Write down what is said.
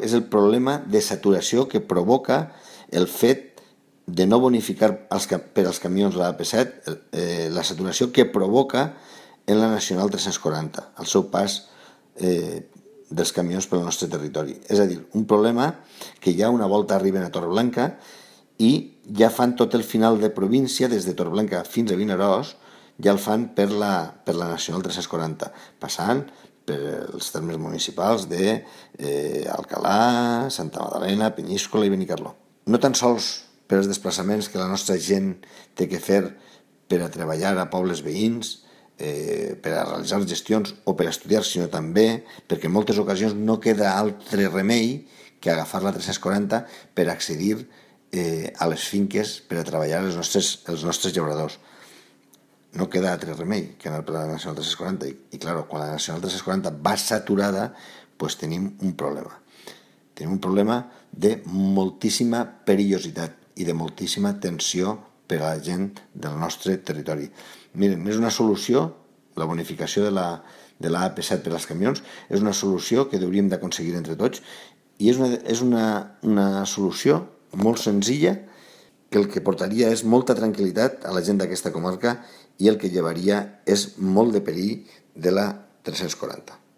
és el problema de saturació que provoca el fet de no bonificar per als camions la AP7, la saturació que provoca en la Nacional 340, el seu pas dels camions pel nostre territori. És a dir, un problema que ja una volta arriben a Torreblanca i ja fan tot el final de província, des de Torreblanca fins a Vinaròs, ja el fan per la Nacional 340, passant per els termes municipals d'Alcalà, Santa Magdalena, Peníscola i Benicarló. No tan sols per els desplaçaments que la nostra gent té que fer per a treballar a pobles veïns, per a realitzar gestions o per a estudiar, sinó també perquè en moltes ocasions no queda altre remei que agafar la 340 per accedir a les finques per a treballar els nostres llauradors. No queda altre remei que anar per la Nacional 340 i clar, quan la Nacional 340 va saturada, doncs tenim un problema. Tenim un problema de moltíssima perillositat i de moltíssima tensió per a la gent del nostre territori. Miren, és una solució, la bonificació de la AP7 per als camions, és una solució que hauríem d'aconseguir entre tots i és una solució molt senzilla que el que portaria és molta tranquil·litat a la gent d'aquesta comarca i el que llevaria és molt de perill de la 340.